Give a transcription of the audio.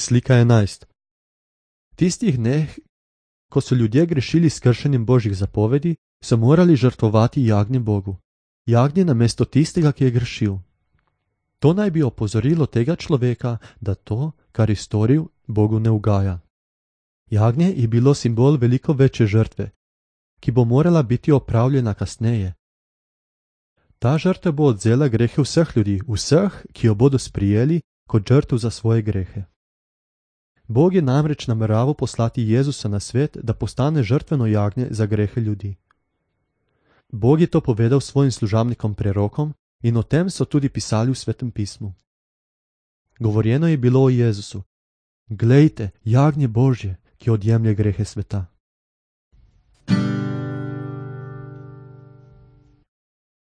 Slika 11. V tistih dneh, ko so ljudje grešili s kršenjem Božjih zapovedi, so morali žrtvovati jagnje Bogu. Jagnje namesto tistega, ki je grešil. To naj bi opozorilo tega človeka, da to, kar je storil, Bogu ne ugaja. Jagnje je bilo simbol veliko večje žrtve, ki bo morala biti opravljena kasneje. Ta žrtev bo odzela grehe vseh ljudi, vseh, ki jo bodo sprijeli kot žrtev za svoje grehe. Bog je namreč nameraval poslati Jezusa na svet, da postane žrtveno jagnje za grehe ljudi. Bog je to povedal svojim služabnikom prerokom in o tem so tudi pisali v Svetem pismu. Govorjeno je bilo o Jezusu. Glejte, jagnje Božje, ki odjemlje grehe sveta.